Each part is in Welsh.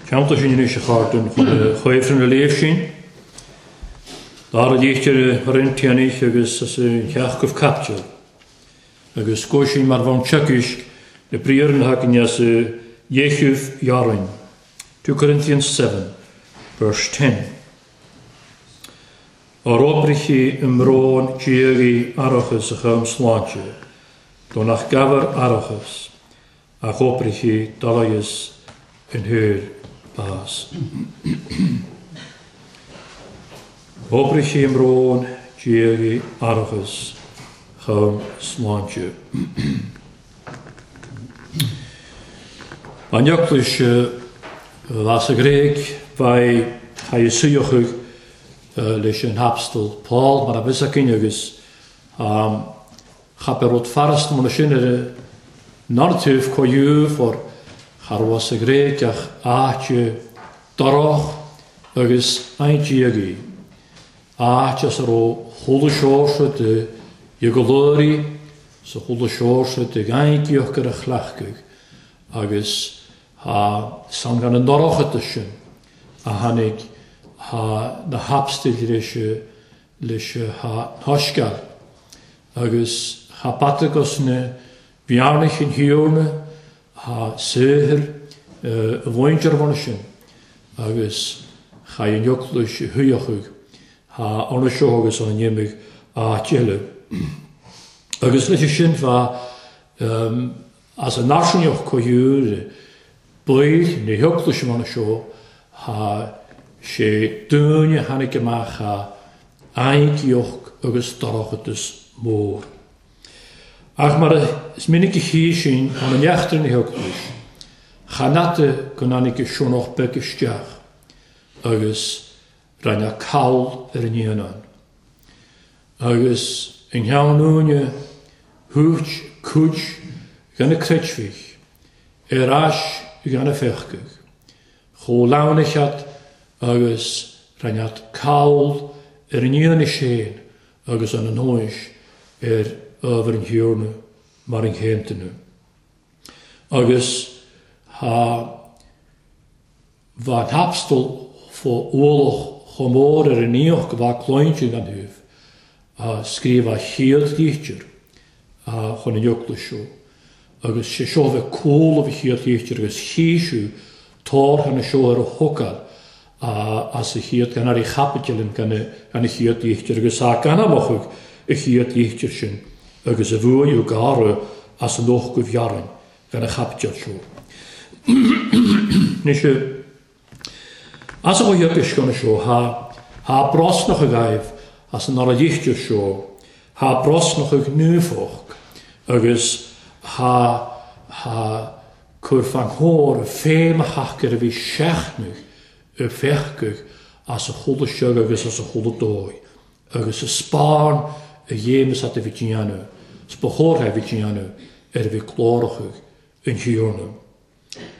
Ceannta sin anois a chairde chun chuimhne na léamh sin. Dara litir Chorintianaigh agus as an cheathramh caipiteal. Agus go sin mar bhonn teagaisc na briathra na hagainne as dhéichiúibh dhearainn. 2 Corinthians 7, verse 10. Ár oibrigí i mbrón diagaí aireachas a chum sláinte, do nach gabhar aireachas, ach oibrigí dalaigheas in thoir bás. Oibrigí i mbrón diagaí aireachas chum sláinte. An Eaglais bhas sa Ghréig bheidh haghaidh suíochadh leis an Apastal Paul mar a bhfios againn agus cha bheadh rud farasta mar sin ar an narrative comh for cha raibh sa Ghréig ach áit dorch agus aindiagaí, áit as a raibh chuile shórt de dheagolóirí sa chuile shórt de ghaingeach ar a chleachtadh agus tha san gan an ndorchadas sin a tháinig tha na hApstail leis leis tha n-soisceal agus tha bata gus na bhearnaich an Thiarna tha saothar a mhuintir bhun sin agus cha an eaglais a shuíochadh tha ann seo agus an n-imigh áit eile. Agus leis sin bha as an náisiúnach comhiúil baill na heaglaise mar seo tha sé dúinne a tháinig amach tha aingeoch agus dorchadas mór. Ach mar is minic a chí sin an neachtar na heaglais, chan fhada go dtáinig a sionnach beag isteach agus rinne call ar an aonán. Agus i nGleann Úine thabhairt cuid de na creidmhigh ar ais gan a pheacaigh, chomh leamhnachead agus rinnead call ar an fhianaise féin agus an anóis ar ábhar an Thiarna mar an chéantaine. Agus tha Bha an t-apastal fó ualach chomh mór ar an fhiach go bhfac cluinte gan thaobh a scríobh a chéad litir chun an eaglais seo agus sé seo a bheith cúl a chéad litir agus chísiú tórtha na seo ar a thógáil as a chéad gan ar a chaipiteal gan a chéad litir agus a gan amach a chéad litir sin agus a bhuaidh garadh as an ucht go bhfearainn gan a chaipiteal seo. Anois, as a bhuíochas gan seo, thá, thá brosnach agaibh as an ára lichtir seo, thá brosnach ag nuafhoc agus thá, thá cur fan chóir féim a thacair a bhí seachnaidh a feicfeadh as a chuala seag agus as a chuala dóigh agus a spáin a dhéamas at a bhí déanamh, 's ba chóir a bhí déanamh ar a bhí clárachaidh an Thiarna.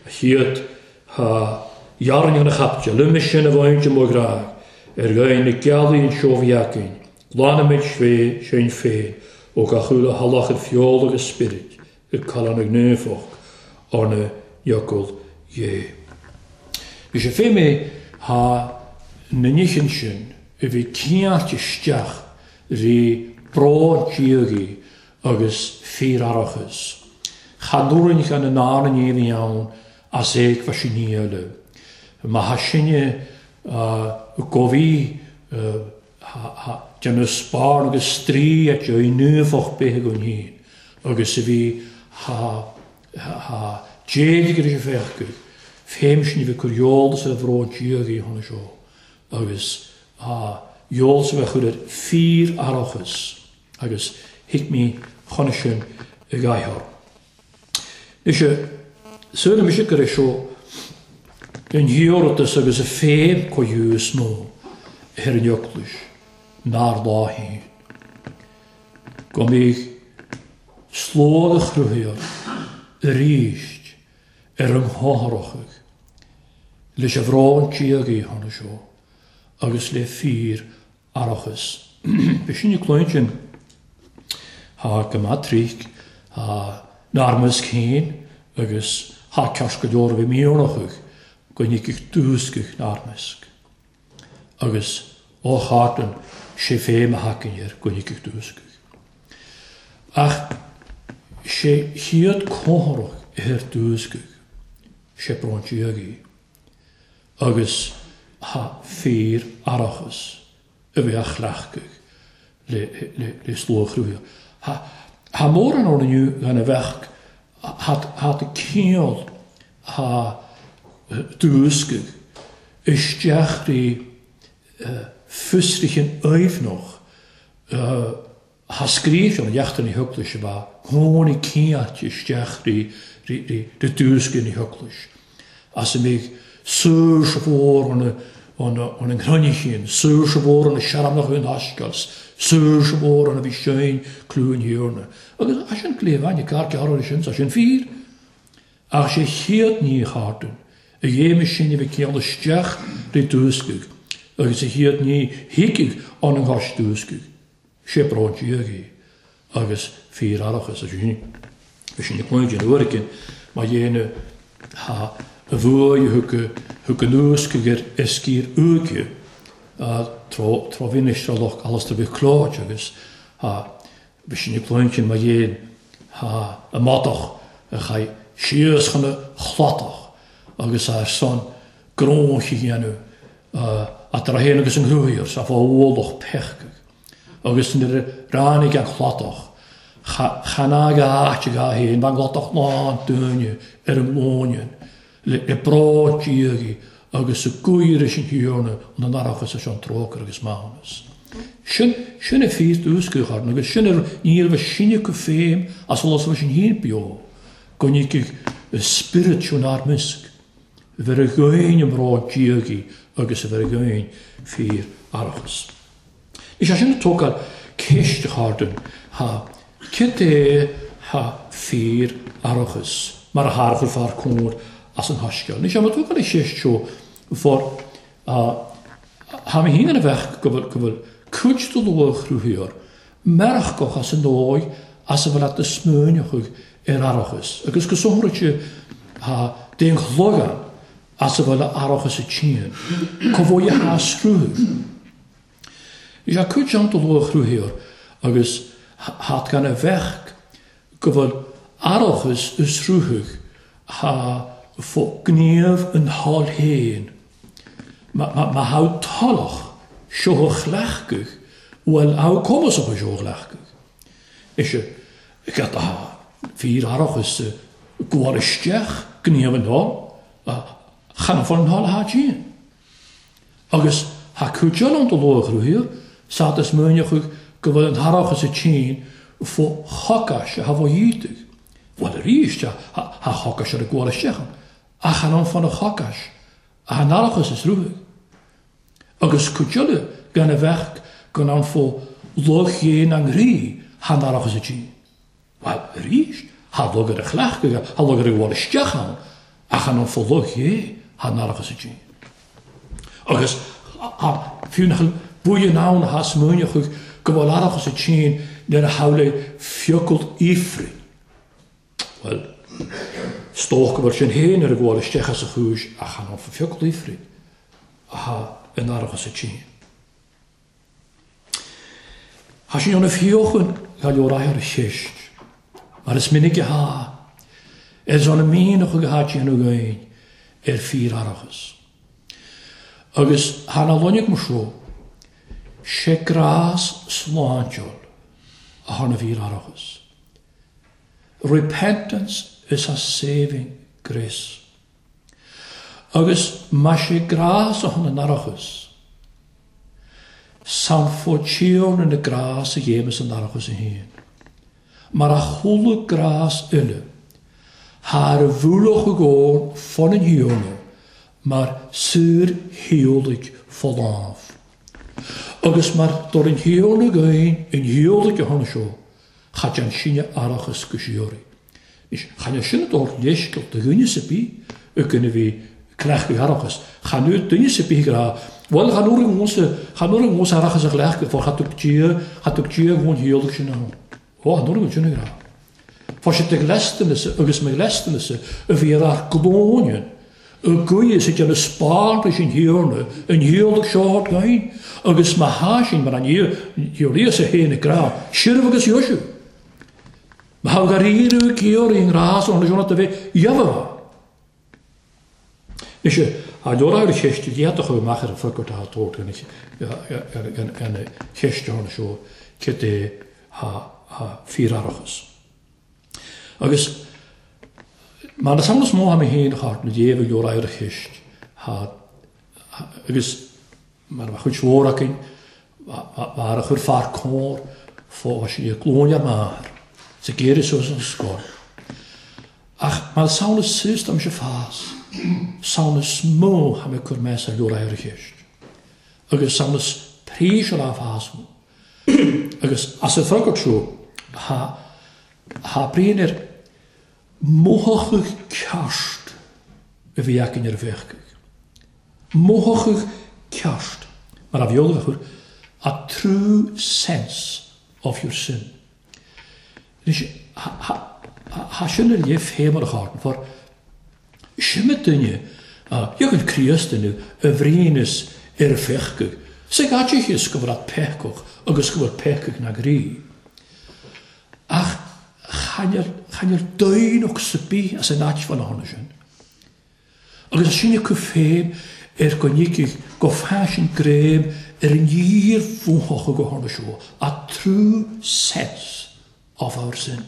A chéad tha dhearn an chaipiteal, uime sin a bhaint i mo ghrá, ar ghain na gealaí an seó bhí againn, glanaimid fé sinn féin ó gach uile shalach ar feoil agus spiorad, ag callán ag naomhadh arna fhocal Dhé. Bhí sé fé mé tha na nithe sin a bhí ciáilt isteach rí brón diagaí agus fíoraireachas. Chan urrainn gan an árann ní a bhí ann as éagmhais an ní eile. Má tha sinne go bhí tha déanamh spáin agus straoi at deo naomhadh bith againn féin agus a bhí tha tha d'éirigh ar a bhfeicfeadh féim sin a bhí cur eolas ar bhrón diagaí a tháinig seo agus tha eolas a bheith chur ar fíor-aireachas agus thuig mé chun sin i gcaitheamh. Anois, súil mise gur é seo an hiarratas agus a féim comh is mó ar an Eaglais nár lá féin. Go mbeidh slógh a chruthaíodh arís ar an gcomhthráthadh leis an bhrón diagaí tháinig seo agus le fíor aireachas. B'shin an cluain sin. Thá go maith tríc, thá n-armas céin agus thá ceart go leor a bhí míornach. Go ndtiocfaidh dúscadh 'nár measc. Agus ó tharlaíonn sé féin a thacaíonn air go ndtiocfaidh dúscadh. Ach sé chéad comhthoradh ar dúscadh, sé brón diaidh í. Agus ha fíor-aireachas a bheith á chleachtadh le slua chruthaithe. Tá mórán ann inniu gan a bheadh hata cineál ha dúscadh isteach rí fiosraithe aoibhneach ha scríofa an leachtanna heaglais ab ea tháinig cinnte isteach rí dúscadh na heaglais as a mbeidh saoirse mhór an ngrinníchín, saoirse mhór an searmanach an thaisceáil, saoirse mhór an a bhí sein clú an Thiarna. Agus as sin cliamhain, ag gearradh sin, tá sin fíor. Ach sé chéad ní a tharlaíonn, a dhéanfaidh sin a bheith cineál isteach rí dúscaigh, agus a chéad ní thiocfaidh an an gcois dúscaigh, sé brón diaidh í, agus fíor-aireachas a sin. Bhí sin ag cluinstin uair éigin má dhéanadh ha a bhuaidh a thug thug an úscaigh ar ar sciar uaighe tró tró mhinistre Loch Alastair Mhic Clóid agus ha bhí sin ag cluinstin má dhéan ha a madadh a chaith síos chun a chladach agus ar son grónch a dhéanamh eatarthu féin agus an ghnóthaíocht sa fá ualach peacaigh. Agus nuair a ráinig an chladach, chan fhág a áit ag a féin, bhean chladach lán daoine ar an nglúine, le bród diagaí agus a gcuir leis an Thiarna an an-aireachas is an trócaire agus maithiúnas. Sin, sin a fíor dúscaigh orainn agus sin ar ní raibh a sinne acu féin as solas leis an fhéin beo, go ndtiocfaidh a spiorad seo inár measc. A bheith ar dhaoine a mbród diagaí agus a bheith ar dhaoine fíor aireachas. Is é sin ag tógáil ceist a chairde, ha, cad é ha fíor aireachas mar a tharchuir fear cóir as an thaiscéal? Ní sé mar tógáil an cheist seo for ha, ha mé féin ina bheadh go bhfuil, go bhfuil cuid de luath chruthaíoir mearacach as an dóigh as a bhfuil at na smaoineochaidh ar aireachas, agus go sonraite ha d'aon chloigeann as a bhfuil a aireachas a tSín, cá bhfuil a h-sruthú. Is ea cuid ann de luath-chruthaíoir agus hat gan a bheadh go bhfuil aireachas a sruthadh ha fo gníomh an thoil féin. Má thá toileach seo a chleachtadh, bhuel thá cumasach seo a chleachtadh. Is ea, cad atá fíor-aireachas gabháil isteach gníomh an thoil, chan fo an thoil atá tinn. Agus thá cuid eile ann do luath-chruthaíodh, said is múineachadh go bhfuil an t-aireachas a tinn fo chocais a thá fo dhíotaigh. Bhuel arís, thá chocais ar a gabháil isteach ann, ach chan ann fo na chocais, ach an aireachas is ruaig. Agus cuid eile gan a bheadh gan ann fo luath-ghéin an ghrí thá an aireachas a tinn. Bhuel, arís, thá lug ar a chleachtadh, thá lug ar a ghabháil isteach ann, ach chan ann fo luch é, thá an aireachas a tinn. Agus thá, fiú nach bhfuil buíon ann athá smaoineochaidh go bhfuil aireachas a tinn nuair a shamhlaigh fiacail Ifrinn. Bhuel, is dócha go bhfuil sin féin ar a ghabháil isteach as a chúis ach chan ann fo fiacail Ifrinn athá in aireachas a tinn. Tá sé ina fíochan go leor ar cheist, mar is minic atá, ar son a mianach agus atá déanamh againn ar fíor-aireachas. Agus thar na loinnigh mar seo, sé grás sláintiúil atá ina bhfíor-aireachas. Repentance is a saving grace. Agus má sé grás a thon an aireachas, san fó Tiarna na grás a ghéimeas an aireachas a fhéin, mar a chuala grás uile, thar a bhualach i gcóir fon an Thiarna mar saor shíolaigh fo lámh. Agus mar do an Thiarna againn an shíolaigh a thon seo, cha dean sinne aireachas go síoraí. Anois, chan é sin a dtabhairt leithscéal do dhuine sa bith againn a bhí ag cleachtadh aireachais. Chan fhuair duine sa bith ag rá, Bhuel, chan fhuair an mhúsa, chan fhuair an mhúsa aireachas a chleachtadh, for cha dtug Dia, cha dtug Dia dhon shíolach sin ann. Ó, chan fhuair an sin ag rá. Fuair siad de ghleastanasa agus mo ghleastanasa a bhí ar ár glúine. Y gwy is ag déanamh spáin leis an Thiarna, an ghiolladh seo ort féin, agus má thá sin mar an Íosa féin ag grá, sirbh agus dheisiú. Má thá gar iarraidh ag iarraidh i ngrá san ionad seo do bheith dheamhan. Anois, thá leor ar cheist a d'fhéadfadh a amach ar an freagairt atá tabhairt gan a cheist ann seo céard é thá fíoraireachas. Agus mar is ann is mó mé féin a chart na déibh a leor ar cheist agus mar a chuid mhór againn mar a chuir fear cóir fá sí ag glúine ar m'athair sa gcéire suas an scoil. Ach mar is ann is suas dom se fás, san is mó tha mé cur meas ar leor ar cheist. Agus san is príis ar a fás mó. Agus as an freagairt seo tha bríon ar mothachadh ceart a bhí againn ar bhéarcaigh. Mothachadh ceart, mar a bheola a chur, a true sense of your sin. Anois, tha sin ar leith fé mar a chártain, for Sin duine a dheachaigh Críost inniu a bhríonnas ar a pheacaigh, sa gcaiteachas go bhfuil peacach agus go bhfuil peacaigh na gcroí. Ach chan fheil daonnacht sa bith as an áit fá na hona sin. Agus as sin acu féin ar go ndíocfaidh go faisean greim ar an fhíor-bhunchloch go hona seo, a true sense of our sin.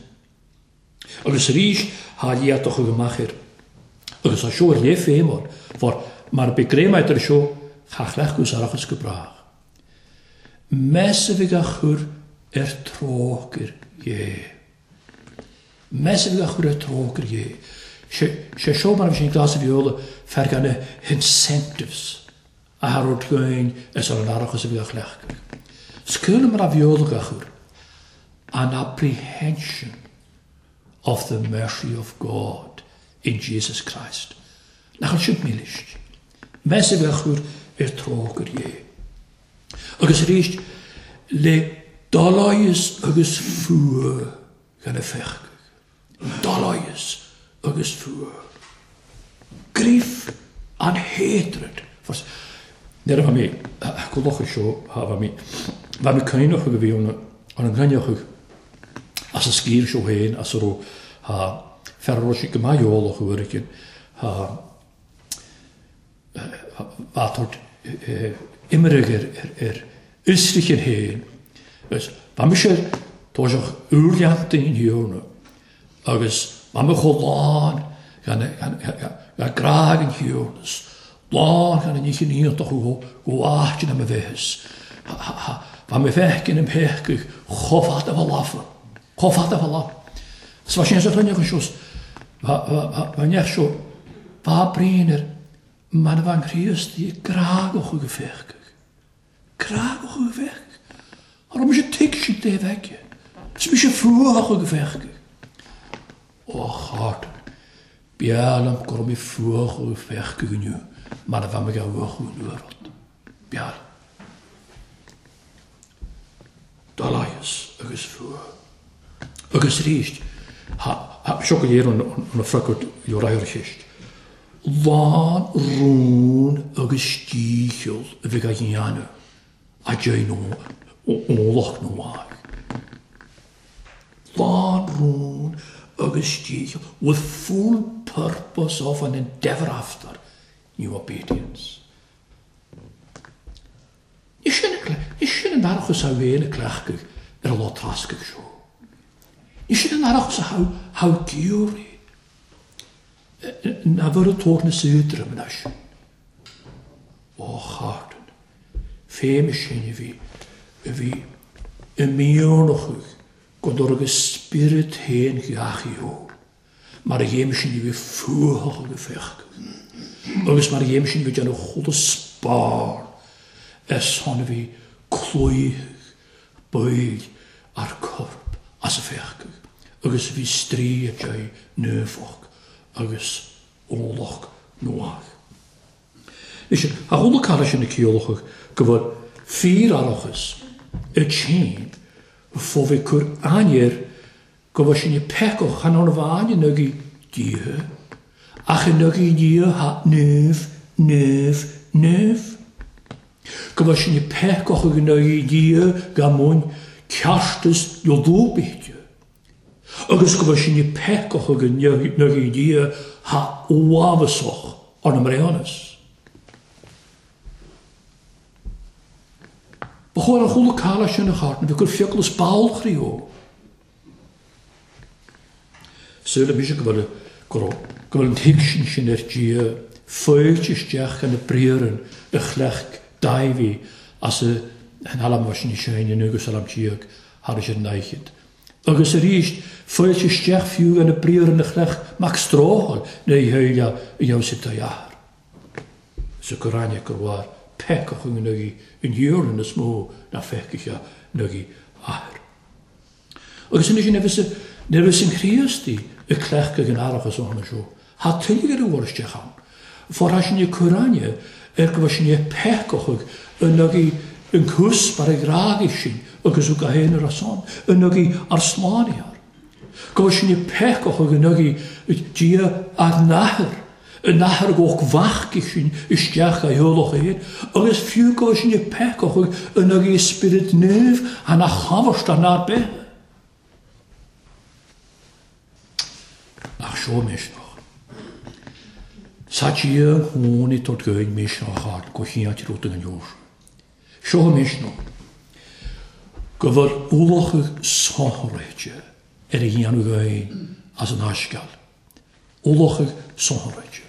Agus arís thá liath do chuig amach air. Agus tá seo ar léith féin ann, for mar bidh greim agat ar seo, cha chleacht gus arachas go brách. Meas a bhidh á chur ar trócaire Dhé. Meas a bhidh á chur ar trócaire Dhé. Sé seo mar a bhí sin glas a bheola fear gan na hincentives a thabhairt dhúinn is ar an arachas a bhí á chleachtadh. Scaoileadh mar a bheola á chur. An apprehension of the mercy of God in Jesus Christ. Nach bhfuil sin milis? Meas a bheith á chur ar trócaire Dhé. Agus arís, le doláigheas agus fuath gan a pheacaigh. Doláigheas agus fuath. Grief and hatred. Nuair a bha mé go locha seo, bha mé, bha mé cuimhneach a bhí ann an gcoinneochadh as an sciar seo féin as a raibh thá fear a raibh sé go maith eolach uair éigin thá bha tabhairt imirigh ar ar fhiosraithe féin agus bha mise toiseach úrleanta in Thiarna agus bha mé chomh lán gan gan grá ag an Thiarna is lán gan an oíche iontach go go áit ina mo bheith is bha mé feicin im phéacadh chomh fada bha lafa chomh fada bha lafa. Is bha sin sa chruinneachas seo bha neach seo bha braon ar mar a bha an Chríost í grá go chuig a phéacadh. Grá go chuig a phéacadh. Thá raibh mise tuigse taobh aici. Is mise fuath chuig a phéacadh. Ó a chárta, b'fhearr liom go raibh mé fuath chuig a phéacadh inniu mar a bheadh mé ag uachú an uair rud. B'fhearr liom. Doláigheas agus fuath. Agus arís, seo go léir an freagairt leor ar cheist. Lán rún agus dícheall a bheidh á dhéanamh a deir eolach nó mhaith. Lán rún agus dícheall with full purpose of an endeavour after new obedience. Ní sin an aireachas a bhí ina cleachtadh ar an lá trascaigh seo. Ní sin an aireachas a thogh Giorria ná bhur ag tabhairt na saothraim anois. Ó Chártain, féim sin a bhí, a bhí i miornachadh go dtabharfadh a spiorad féin gach eol. Mar a dhéim sin a bhí fuathach agus féachadh, agus mar a dhéim sin a bhí déanamh chuile spár ar son a bhí cloífeadh baill ár corp as a féachadh, agus a bhí strae ar deireadh naofach agus eolach nuách. Anois, a chuala cara sin na ciallachadh go bhfuil fíor-aireachas i tséin fó bheith cur ainnir go bhfuil sin ag peiceadh chan ann amháin in aghaidh Dia, Ach i n-agaí Dia thá naomh, naomh, naomh. Go bhfuil sinne peacach ag n-agaí Dia ga mbun ceartas na lúbaithe. Agus go bhfuil sinne peacach ag n-agaí Dia thá uafasach ar na mbreithiúnas. Ba chóir an chuala cailleach sin a chart na bheith gur fiacail is ball chroí ó. Súil mise go bhfuil go raibh go bhfuil an tuigsint sin ar Dia faighte isteach ina briathran a chleacht Dáibhí as a an alam sin sin in agus alam tíag thar is ar an fhaichid. Agus arís faighte isteach fiú ina briathran a chleacht Mac Stróthail na heile a dheabhas a athair. Sa Gráinne gur mhair peacach in aghaidh an iarlainn is mó ná feicthe in aghaidh athair. Agus anois nuair a bheas an Chríostaí ag cleachtadh an aireachais ó tháinig seo, thá tuilleadh ar a bhfuil isteach ann. For thá sin ag cur aithne ar go bhfuil sin ag peacach in aghaidh an cuspair a ghrágaigh sin agus go haonar as ann, in aghaidh ár slánaithe. Go bhfuil sin ag peacach in aghaidh Dia ár n-athair. An athair go bhfeachaigh sin isteach a eolach air, agus fiú go bhfuil sin ag peacach in aghaidh Spiorad Naomh an a chabhairt an ár beatha. Ach seo misneach. Sa Dia an chónaí tabhairt dhúinn misneach ard go chinnte rud an leor. Seo misneach. Go bhfuil ualach sonraithe ar a dhéanamh dhúinn as an fháisceáil. Ualach sonraithe.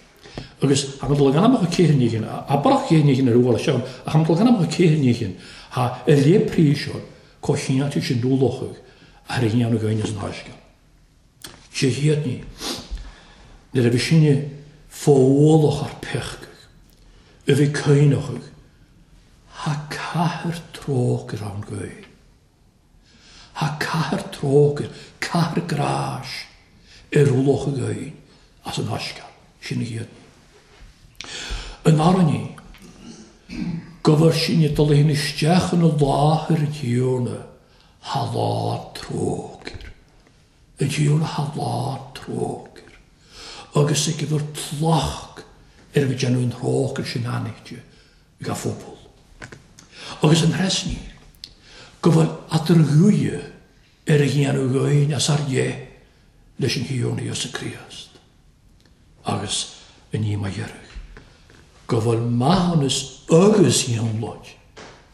Agus tha dul ag anam a céithir níghin, abrach céithir níghin ar ualach seo, ach tha dul ag anam a céithir níghin, tha ar lé príseoir có chinnte sin ualach ar a dhéanamh againn as an fháisceadh. Sé hiad ní. Nuair a bhí sinne fó ualach ár peacaigh, a bhí caoineachaidh, tha cathair trócaire ann gaoth. Thá cathair trócaire, cathair gráis ar ualach againn as an fháisceadh, sin a chéad ní. An dara ní, go bhfuil sinn ag dul féin isteach ina láthair an Tiarna, thá lá trócaire. An Tiarna thá lá trócaire. Agus ag a bhfuil tlacht ar a bhfuil déanamh an trócaire sin anaithnid ag a phobal. Agus an threas ní, go bhfuil eadar-ghuí ar a dhéanamh againn as ár leith leis an Thiarna Íosa Críost, agus i ndiaidh mo dheiridh, go bhfuil maithiúnas agus ionlóid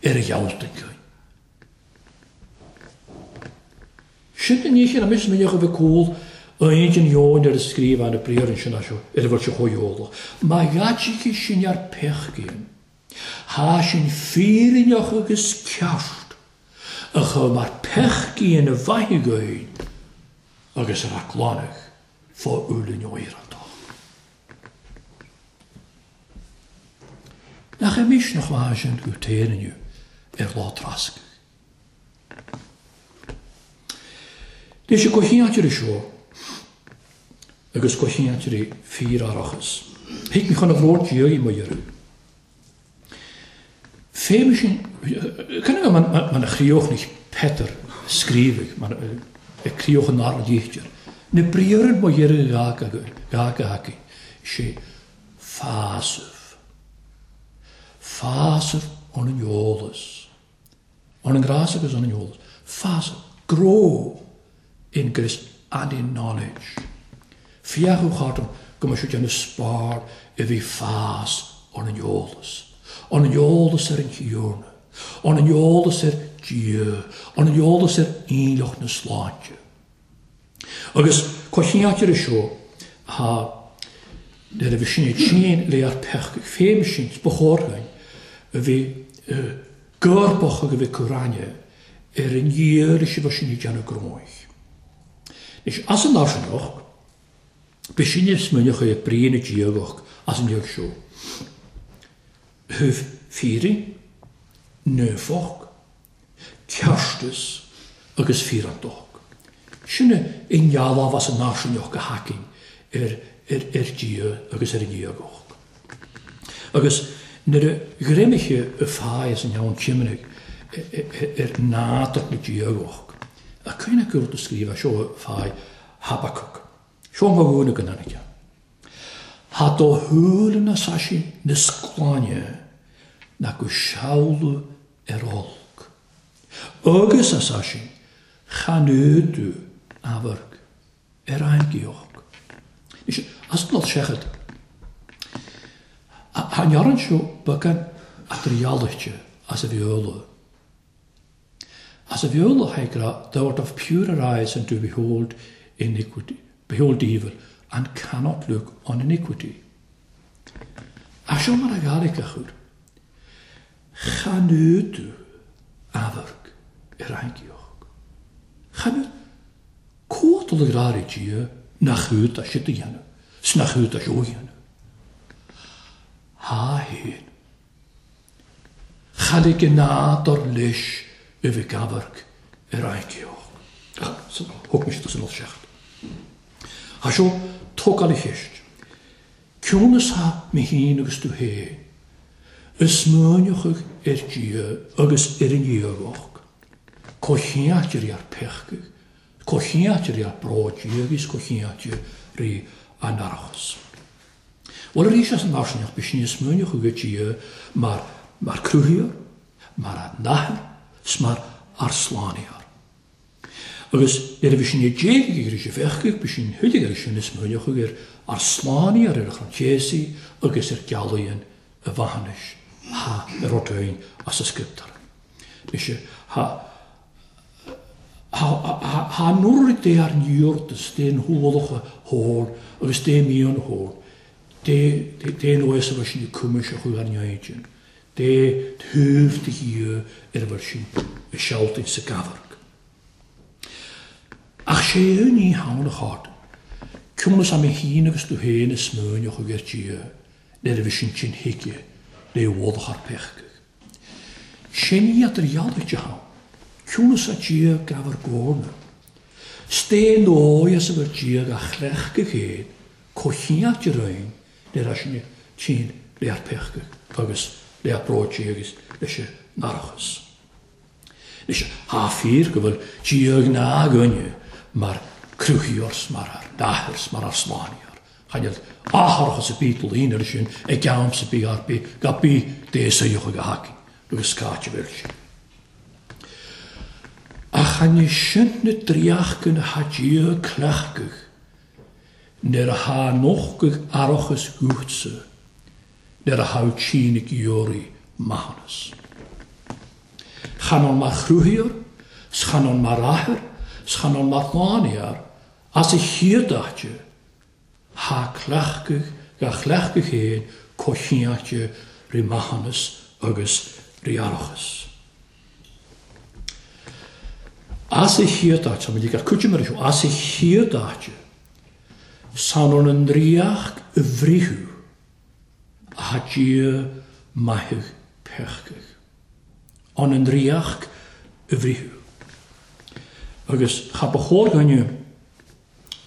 ar a ghealltain againn. Sin an oíche ina mbeadh a bheith cúl aon den dheoin ar a scríobh Anna Briathar ansin as seo ar a bhfuil sé chomh heolach. Má ghaidhfidh sin ár peachcaíonn, thá sin fírinneach agus ceart a chur mar peachcaíonn a mhaith againn agus a raibh glanadh fá uillinn oidhreachtach. Nach é misneach maith sin go téann inniu ar lá trascaidh. Leis an gcomhcheantar seo agus comhcheantairí fíor-aireachas, thig mé chun a bhróid Dia mo iarraidh. Féim sin, cén fáth mar a chríochnaigh Peter a scríobhadh, mar a críoch an dara litir, na briathra mo iarraidh gach againn, sé fásamh. Fásamh ón eolas. Ón ngrás agus ón eolas. Fás, grow in grace and in knowledge. Féachadh chortrom go mbeadh sé déanamh spár a bhí fás ón eolas. Ón eolas ar an Tiarna. Ón eolas ar Dhia. Ón eolas ar aoinleacht na sláinte. Agus coitianta ar seo thá nuair a bhí sin ag tinn le ár peacaigh féin sin ba chóir dúinn a bhí gorbach ag a bhí cur aithne ar an iarraidh a bhí sin ag déanamh gróig. Anois as an náisiúnach bhí sin ag smaoineamh ar brí na diagach as an diag seo. Thaobh fírinne, naofacht, ceartas agus fíreantacht. Sin i ndealbh as an náisiúnach a thacaíonn ar ar Dhia agus ar an ndiagacht. Agus nuair a ghreimigh a fáidh as an Shean Tiomnaigh ar nádúr na diagacht, a cuimhne acu rud a scríobh seo fáidh Habacuc. Seo mo dhúine go n-aithne. Thá do shúile na saisí níos glaine ná go seoladh ar olc. Agus a saisí, chan fhuadú amharc ar aingeoch. Anois, as an seachad, tha an fhoireann seo beagán atriallaite as a bheola. As a bheola tha ag rá, Thou art of purer eyes and do behold iniquity, behold evil, and cannot look on iniquity. Ach seo mar a ghairfeadh a chur. Chan fhuadú amharc ar aingeoch. Chan fhuadú. Comhalta le grá ag Dia nach iúd a siad a dhéanamh, 's nach iúd a seo a dhéanamh. Thá féin. Cha lig an nádúr leis a bheith ag amharc ar aingeoch. Ach thug mise tusa an oilseacht. Thá seo tógáil a cheist. Ciúnas thá mé féin agus tú féin. Is smaoineochaidh ar Dia agus ar an iarracht. Comhcheannt rí ár peacaigh, comhcheannt rí ár bród Dia agus comhcheannt rí ár n-aireachas. Bhuel arís as an áirseanach bhí sin ag smaoineamh chuige Dia mar mar cruthaíoir, mar ár n-athair 's mar ár slánaíoir. Agus nuair a bhí sin ag déag ag iarraidh a bheith bhí sin thuilleadh air sin ag smaoineamh chuige ar ár slánaíoir ar a chrann céasaí agus ar gealaíonn a mhaithiúnais tha ar rud éigin as a scrioptúr. Mise, tha, tha, tha, tha an uair dé ár n-iarratas, dé an hualacha thóir agus dé mian thóir, dé, dé, dé an uair sa bhfuil sin ag cuma seo chuig ár n-éidin, dé thaobh de Dhia ar a bhfuil sin ag sealtaint sa gcamharc. Ach sé an ní hamhain a chárta, ciúnas am é féin agus tú féin a smaoineamh chuig ar Dia, nuair a bhí sin tinn chuige lé mhullach ár peacaigh. Sin iad ar ghealaigh de ham, ciúnas a Dia gabh ar gcomhairle. 'S dé ndóigh as a bhfuil Dia gá chleachtadh féin comh chineál de roinn nuair a sin tinn lé ár peacaigh agus lé ár bród Dia agus leis an n-aireachas. Anois, thá fíor go bhfuil Dia ag ná againne mar cruthaíoir 's mar ár n-athair 's mar ár slánaíoir. Cha níl atharachas a bith dul air sin ag am sa bith ar bith ga bith dé saothach ag a thacaí agus scáit a bhfuil sin. Ach chan é sin na dríochcann athá Dia ag cleachtadh nuair athá nochtadh arachas uatsa nuair a thogh tínn ag iarraidh maithiúnas. Chan ann mar chruthaíoir, 's chan ann mar athair, 's chan ann mar shlánaíoir, as a chéad áite, thá cleachtadh dhá chleachtadh féin comhchinnte rí maithiúnas agus rí aireachas. As a chéad áite, tá muid ag cuid mar seo, as a chéad áite, san ann an ríocht a bhritheadh Atá Dia maitheadh peacaigh. An an ríocht a bhritheadh. Agus cha ba chóir dhuine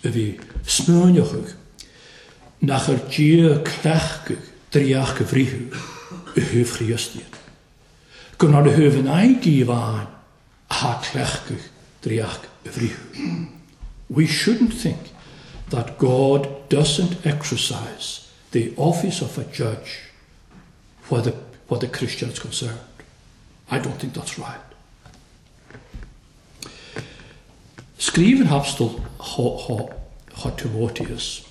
a bhí smaoineochadh nach ar Dia cleachtadh draíocht a bhritheadh i thaobh Chríost iad. Gur ná na thaobh in aghaidh díobh amháin atá cleachtadh draíocht a bhritheadh. We shouldn't think that God doesn't exercise the office of a judge where the, where the Christian is concerned. I don't think that's right. Scríobh an t-abstal cho Timoteus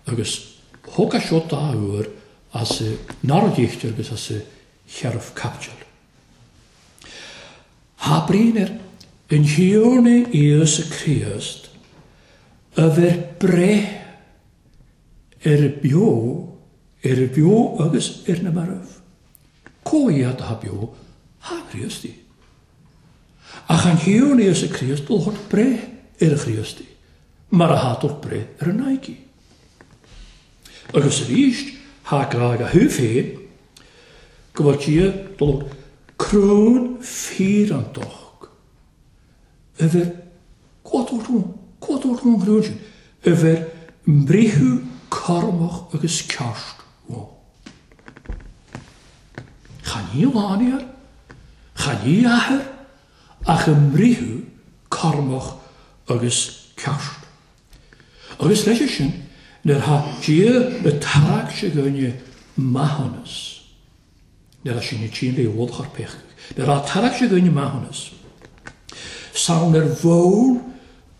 agus thug a seo dá uair as a nara agus as a sheriff capital. Thabraíonn ar an Thiarna Íosa Críost a bheith breith ar beo, ar beo agus ar na mairbh. Có iad atá beo, thá Críost í. Ach an Thiarna Íosa Críost dul thart breith ar a Chríost í, mar atá tabhairt breith ar an Nike. Agus arís, thá grá ag a thaobh féin, go bhfuil Dia dul crún fíreantach a bheith Cá dtabhairt an chrún sin? A bheith mbreitheamh cúramach agus ceart ann. Chan í lánair, chan í athair, ach i mbreitheamh cúramach agus ceart. Agus leis sin, Nuair atá Dia ag tarrac againne maithiúnas, nuair atá sin ag tinn le ualach ár bpeacaí, nuair atá tarrac againne maithiúnas, san ar bhonn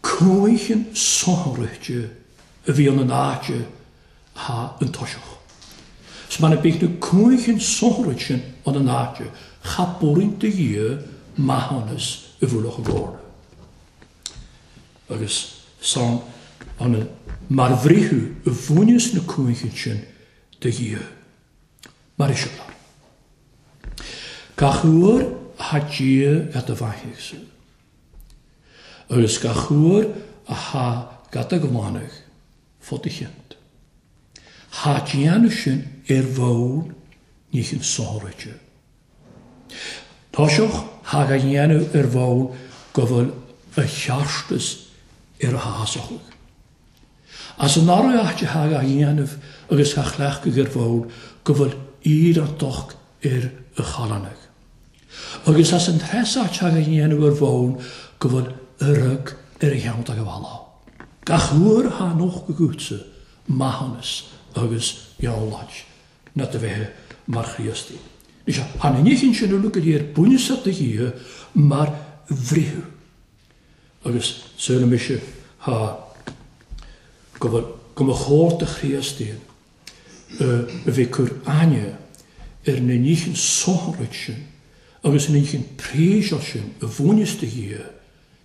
cúincheann sonraithe a bhíonn in áit atá an toiseach. 'S mana bíodh na cúincheann sonraithe sin ann in áit, cha b'fhulaingt do Dhia maithiúnas i bhfolach i gcomhairle. Agus san ionann mar bhritheadh i bhfuinneas na cúincheann sin do Dhia. Mar eiseamláir. Gach uair atá Dia ga do bheathaigh-sa, agus gach uair atá ga do ghlanadh fá do chionnt, thá déanamh sin ar bhonn nícheann sonraithe. Toiseach thá ga dhéanamh ar bhonn go bhfuil a cheartas ar a shásachaidh. As an áireamh áit thá ga dhéanamh agus ga chleachtadh ar bhonn go bhfuil iarrachtacht ar a challánaigh. Agus as an treis áit thá ga dhéanamh ar bhonn go bhfuil urraidh ar a cheann dá ghabháil. Gach uair thá nocht agatsa maithiúnas agus eolais ná do bheith mar Chríostaí. Is ea, tha na nithe sin uilig go léir bunúsach do Dhia mar bhriathar. Agus saoire mise tha go bhfuil, go mba chóir do Chríostaí a bheith ag cur aithne ar na nithe sonraithe sin agus na nithe príosach sin a bhaineas do Dhia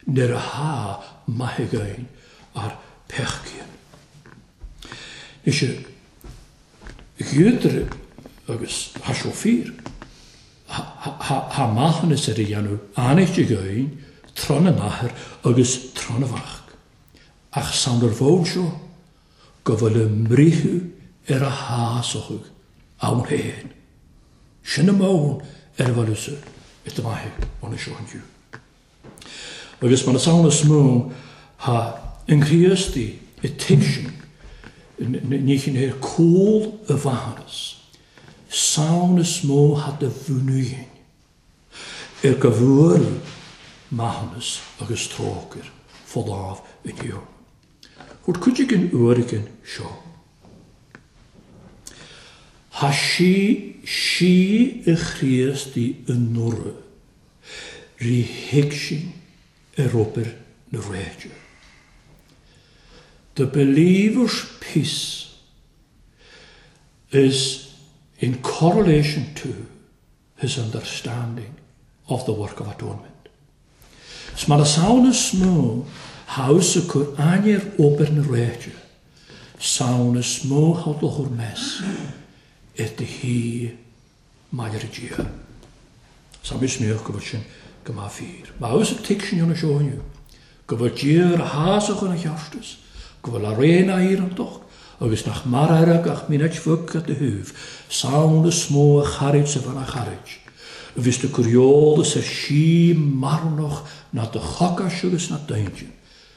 nuair a tha maith againn ár peacaíonn. Is ea, ghiúdar agus tha seo fíor. Tha maithiúnas ar a dhéanamh anaithnid againn tráth na n-athair agus tráth na mhac. Ach san ar bhonn seo go bhfuil a mbriathadh ar a shásóchaidh ann féin. Sin an bonn ar a bhfuil usa i do mhaithe ón seo inniu. Agus mar is ann is mó tha an Chríostaí i tuigsin ní chin ar cúl a mhaithiúnas, 's ann is mó tha do mhuinín ar go bhfuair maithiúnas agus trócaire fá láimh inniu. Thabhairt cuid den uairgin seo. Tha sí sí i Chríostaí anuraidh. Rí thuig sin ar obair na réide. The believer's peace is in correlation to his understanding of the work of atonement. 'S mar is ann is mó thomhas a cur aithne ar obair na réide, 's ann is mó thomhas meas ar do thí Maille Dia. Sa misneach go bhfuil sin go maith fíor. Má fhios ag tuig sin ionas seo inniu, go bhfuil Dia ar a shásamh chun a cheartais, go bhfuil a raon éireantach, agus nach mar aire gach mínit bheag at do thaobh, samhail is mó a charaid sa bhean a charaid, a bhíos do cur eolas ar sí marthanach ná do chocais agus ná d'intinn,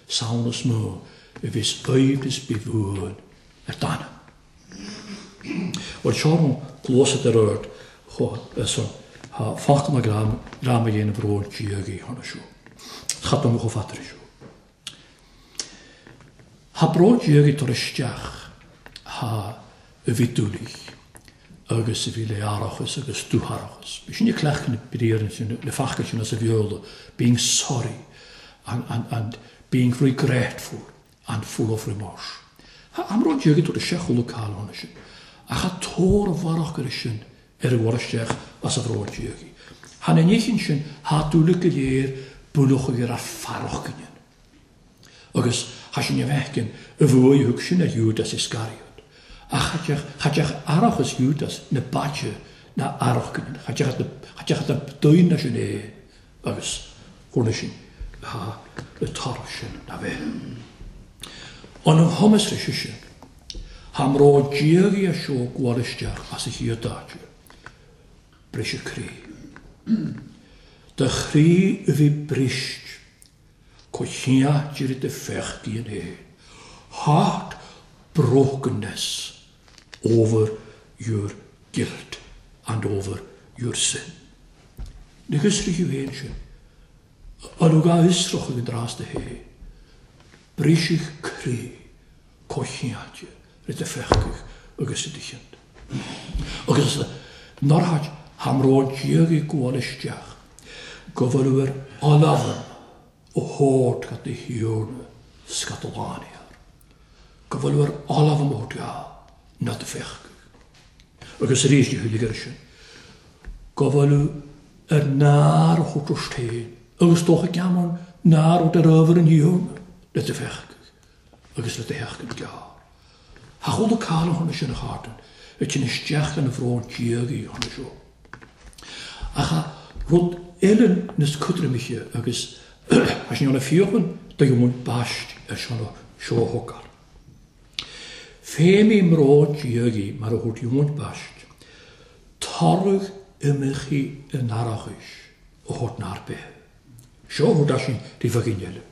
samhail is mó a bhíos aoibhneas bíbh uain ar d'anam. Bhuel seo an cluas a deir ort chomh san thá focal na greim a dhéanamh ró diagaí cheana seo. Cha dom chomh fada seo. Thá bró diagaí tar isteach thá a bhí dúlaigh agus a bhí le aireachas agus dútharachas. Bhí sin ag cleachtadh na briathra sin, na focail sin as a bhéola, being sorry and, and, and being regretful. and full of remorse. Tha amhrán diagaidh tabhairt isteach chuile cáil ann sin, ach tha tóir a mharach ar sin ar a bhfuair isteach as a bhróid diagaidh. Tha na nithe sin tha dúile go léir buaileochaidh ar a farrachgainnean. Agus tha sin a bhfeicinn a bhuaidh thug sin ar Iúdas Iscariot. Ach cha dteach cha dteach arachas Iúdas na baite ná arachgainnean, cha dteach cha dteach na daoine sin é. Agus chuala sin thá le toradh sin ná bheith. An chumas leis sin, tha mbró diagaidh a seo gabháil isteach as a chéad áite. Briseadh croí. Do chroí a bhí brist co cheart do feachtaí an é. Heart brokenness over your guilt and over your sin. Ní fhiosraíodh féin sin. An thug a fhiosrach ag an dtráth do hé. Briseadh croí comhcheantair ri do pheacaigh agus i do chionta. Agus nár thait tha mbrón diagaidh ag gabháil isteach go bhfuil ar oileán ó thabhairt go do Thiarna 's go do lánair, go bhfuil ar oileán ó thabhairt go ná do pheacaigh. Agus arís ní thuill air sin, go bhfuil ar nár a thabhairt ort féin agus dócha geamán nár rud ar ábhar an Thiarna le do pheacaigh agus le do sheachtain gearr. Tha chuala cailleach chun sin a chartain a tinn isteach ina bhrón diagaidh chun seo. Ach tha rud eile níos codroimche agus tha sin ann a fiuchan do Eoin Baist ar son seo a thógáil. Fé mí mbrón diagaidh mar a thabhairt Eoin Baist toradh imeachaí in arachais a thabhairt nár bith. Seo a thabhairt sin rí bheagán eile.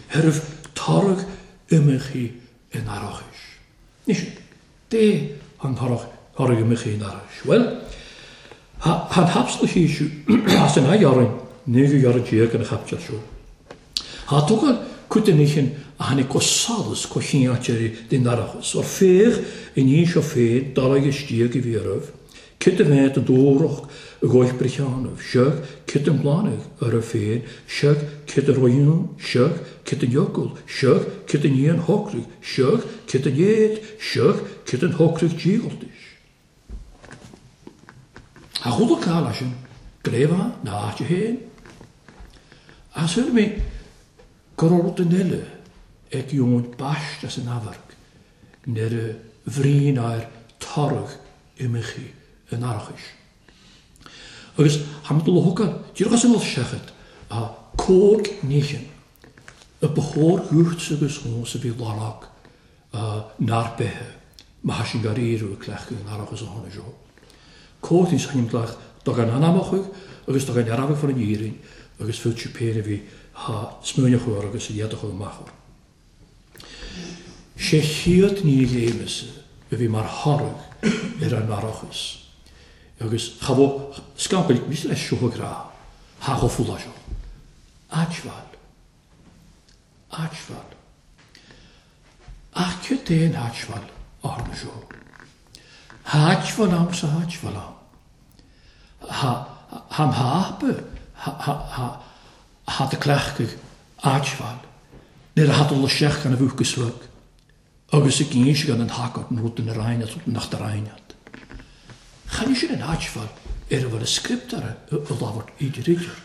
Thairbh toradh imeachaí in arachais. Anois, dé an toradh thoradh imeachaí in arachais? Bhuel, tha an hapsla thíos as an aghaidh orainn, 19ú ghearradh an chaipiteal seo. Thá tógáil cuid den oícheann a tháinig go solas go chinnteoirí den aireachas, or féach i ndiaidh seo féin dul istigh a bhí oraibh, cid a bheith den dúthracht i gcóich Bricheánaibh, seoc cid an glanadh oraibh féin, seoc cid a roiún, seoc cid an fhocal, seoc cid an fhian shocraigh, seoc cid an éad, seoc cid an shocraigh díoghaltais. Tha chuala cáil as sin, gréabha na h-áite féin. Ach shíl mé go raibh rud eile ag Eoin Baist as an amharc nuair a bhríonn air toradh imeachaí an arachais. Agus tha mé dul a thógáil díreach as an alt seachad a cóg nícheann a ba chóir dhuit agus dhomsa bhí lorg nár beithe, má tha sin gar iarradh a cleachtadh in arachas a tháinig seo. Comhaltaí san gcleacht do gan anamachadh agus do gan earramhadh for an fhírinne agus fillte péin a bhí tha smaoineachadh orr agus a dhéadachadh amach orr. 600 ní léimeasa a bhí mar thoradh ar an arachas agus cha bhó scamaill níos leis seo a grá tha chomh fuath seo. Áitbhail. Áitbhail. Ach cad é an áitbhail a tharla seo? Háitbhail ann sa háitbhail ann. Tha an hápa tha do cleachtadh áitbhail nuair a tha dul isteach gan a bhúch go slug agus ag inse gan an thacaíocht an rud ina roinn as rud nach do roinn at. Chan é sin an áitbhail ar a bhfuil a script ar a labhairt idir idir.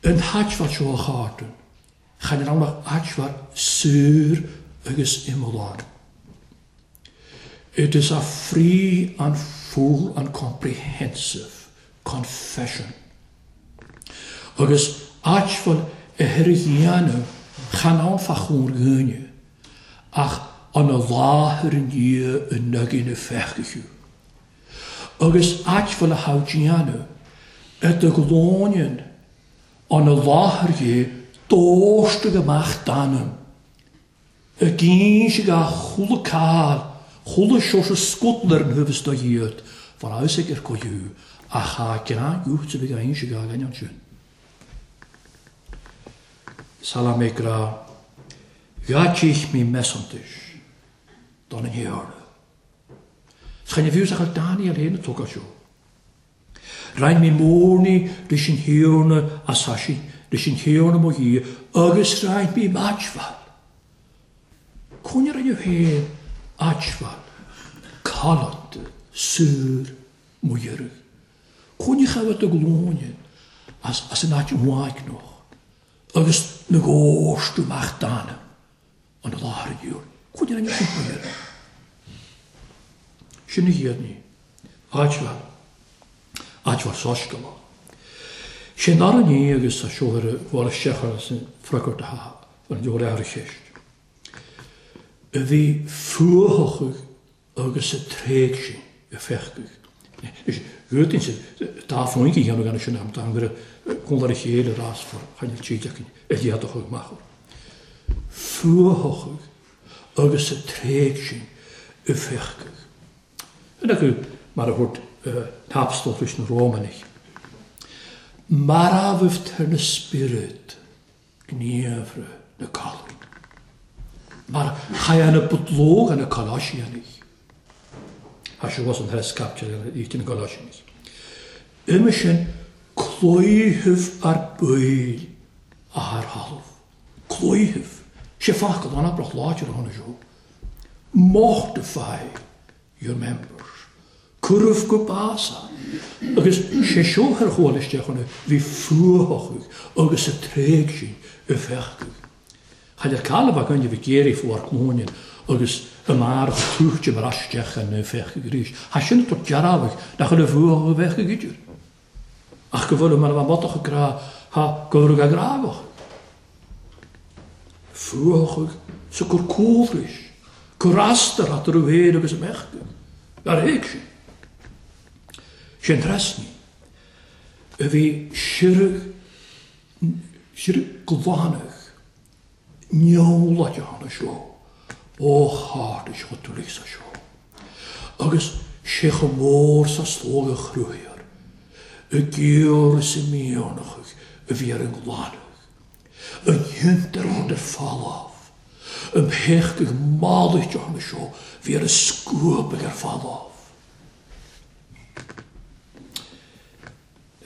An háitbhail seo a chártann Chan fhear ann ach áitbhail saor agus iomlán. It is a free and full and comprehensive confession. Agus áitbhail a thir a dhéanamh chan ann fá chomhair dhuine, ach an a láthair i ndiaidh a n-againn a feicthe. Agus áitbhail a thogh déanamh ar do ghlúin An i láthair dhé d'óstaigh amach d'anam. Ag inse gach chuala cáil, chuala Seosamh Scuttle ar an thaobh is do dhíot, bhar a fhios aige ar go thú, ach thá greann uait a bheith á inse gach duine ansin. Sala mé grá, gha tich mí measantais don an Thiarna. Chan fhios ach ar Daniel féin a tugadh seo. Roinn mé mórnaí leis an Thiarna as aisín, leis an Thiarna mo Dhia, agus roinn mé m'áitbhail. Coinnigh oraibh féin áitbhail, codlata, saor, mo dheireadh. Coinnigh agat do ghlúine as an áit uaigneach, agus na góst amach d'anam. an láthair inniu. Cuid den sin mo dheireadh. Sin a chéad ní. Áitbhail. Áitbhail soiscéalach. Sé an dara ní agus tá seo ar a bhfuil isteach ar an freagairt atá ar an leabhar ar cheist. A bhí fuathach agus sa tréig sin a feicfidh. Is rud insa dá phointe a dhéanamh gan sin am dá ngur conlar a chéile rás for choinneal tríd acu a d'fhéadfadh amach orthu. Fuathach agus sa tréig sin a feicfidh. Sin acu mar a thabhairt n-apstal leis na Rómanaigh. Marbh tar na spiorad gníomhartha na colún. Mar cha é na budlóg na Colossianaigh. Tá sé was an tres capture ar na Colossianaigh. Uime sin cloíthibh ar baill a thar thalamh. Cloíthibh. Sé focal an-abrach láidir a tháinig seo. Mortify your members. Cuireadh go bás é. Agus sé seo ar chuala isteach ann, bhí fuath acu agus a tréig sin i bhfeacadh. Cha le calamh againn a bhí géirí fuar cluaine agus i mbarr a tuairte mar isteach ann i bhfeacadh arís. Thá sin ag tabhairt dearfadh nach bhfuil a bhfuath a bheadh idir. Ach go bhfuil mar a bheadh modach ag grá, thá go bhfuil a grá acu. Fuath sa cur cúlrais, cur astar eatarthu féin agus a mbeadh. Ar thuig sin? Sin trasnaí a bhí siorradh, siorradh glanadh neamhlaite cheana seo ó chairdis chotúlaigh sa seo. Agus sé chomh mór sa slógadh a chruthaíodh i gcior is i mianach a bhí ar an nglanadh, an fhiontar rud ar falamh, an phéac ag malairt cheana seo bhí ar a scuabadh ar falamh.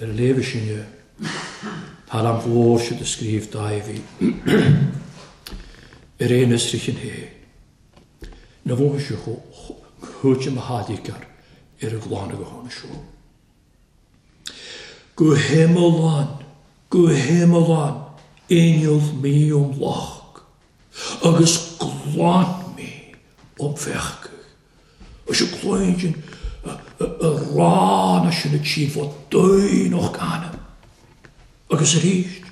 Ar a léamh sinne, tá an mhór siad a scríobh Dáibhí ar aon fhiosraithe sin féin. Na bhfónfaidh sé chomh mo tháirgear ar an gclann go hána seo. Go hiomlán, go hiomlán innill mí um loch agus glan mí um bhfeacadh. Is y cloigeann y rán sin y tîn fod dwy o'ch ganam. Agus arís,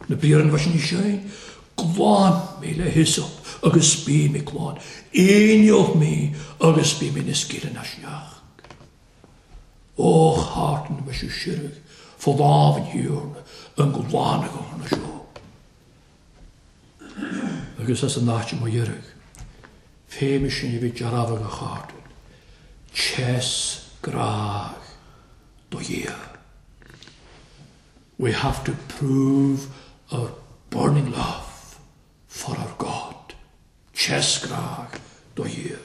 na briathra an bhaisin sin, glan mé le hyssop agus bí mé glan. Innill mé agus bí mé na scileanna sneach. Ó chartan me siú sirg, fod lámh an thiarna, an glan ag an seo. Agus as an áit mo dheireadh, féime sin a bhí dearfadh a chartan, tes grách do Dhia. We have to prove our burning love for our God. Tes grách do Dhia.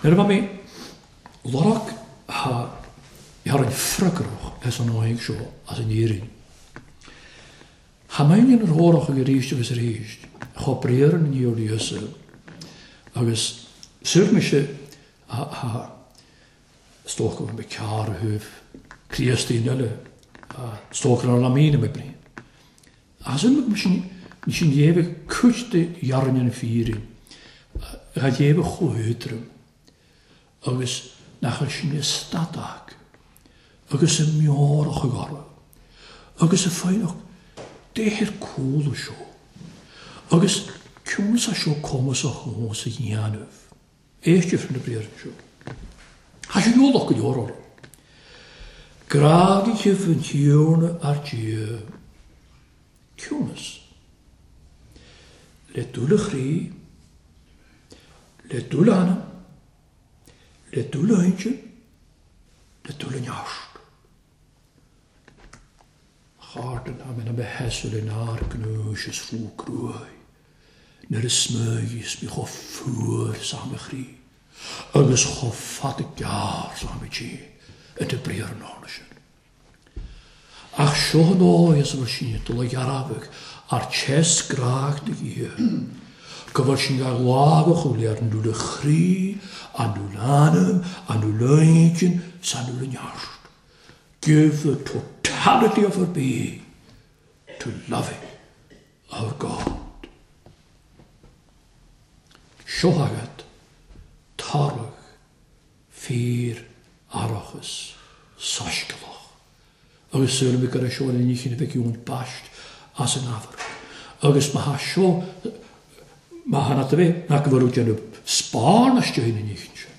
Nuair a bha mé lorg ha ar an freagrach as an óig seo as an Éirinn. Tha mé in rórach ag arís agus arís, chomh briathar an Íosa Íosa agus sur mise ha stócadh mé cearr a thaobh Críostaí eile, stócadh ar la míne mé brí. As an sin sin dhéabh cuid de dhearn an fírin, a dhéabh chomh agus nach sin i stadac agus a meorach ag orthu agus a foighneach déithir cúla seo agus ciúnas seo cumas a chumhas a dhéanamh. Éiste na briathra seo. Tá sé eolach go leor orthu. Grágaithe an Tiarna ar Dia. Ciúnas. Le dúil a chroí, le dúil a anam, le dúil a intinn, le dúil a neart. Chárdan a mena behesul in ár gnúis is fú cruaidh. Nuair a smöigis mi chomh fuar is am a chroí, agus chomh fada gearr is am a dí, a de briathar an ána sin. Ach seo an áigh as a bhfuil sin dul a dhearfadh ar tes grách do Dhia, go bhfuil sin gach lámhach ó léir an dúil a chroí, an dúil anam, an dúil intinn, 's an dúil neart. Give the totality of our being to loving our God. Seo agat toradh fíor aireachas soiscéalach. Agus súil go raibh seo ina chinneadh bheith ciúin baist as an ábhar. Agus má thá seo, má thá na bheith, nach go bhfuil déanamh spáin istigh ina ndícheann sin.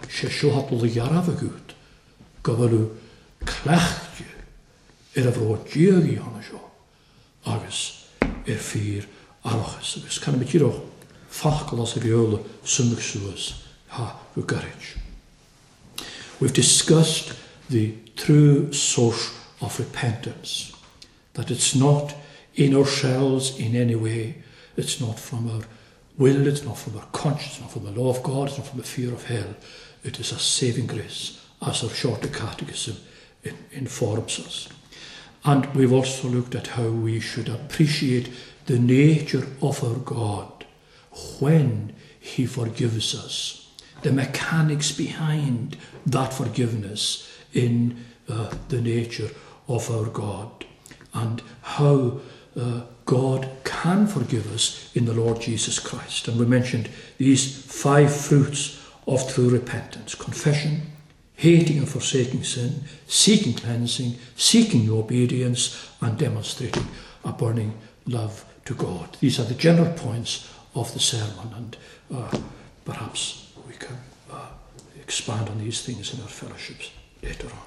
Sé seo atá le dhearbh agat go bhfuil cleachtadh ar a bhród Dia a dhéanamh seo agus ar fíor aireachas. Agus can mé díreach focal as a bheola suimigh suas ha go gairid. We've discussed the true source of repentance, that it's not in ourselves in any way. It's not from our will, it's not from our conscience, it's not from the law of God, it's not from the fear of hell. It is a saving grace, as our shorter catechism informs us. And we've also looked at how we should appreciate the nature of our God when he forgives us, the mechanics behind that forgiveness in the nature of our God, and how God can forgive us in the Lord Jesus Christ. And we mentioned these 5 fruits of true repentance: confession, hating and forsaking sin, seeking cleansing, seeking obedience, and demonstrating a burning love to God. These are the general points of the sermon, and perhaps we can expand on these things in our fellowships later on.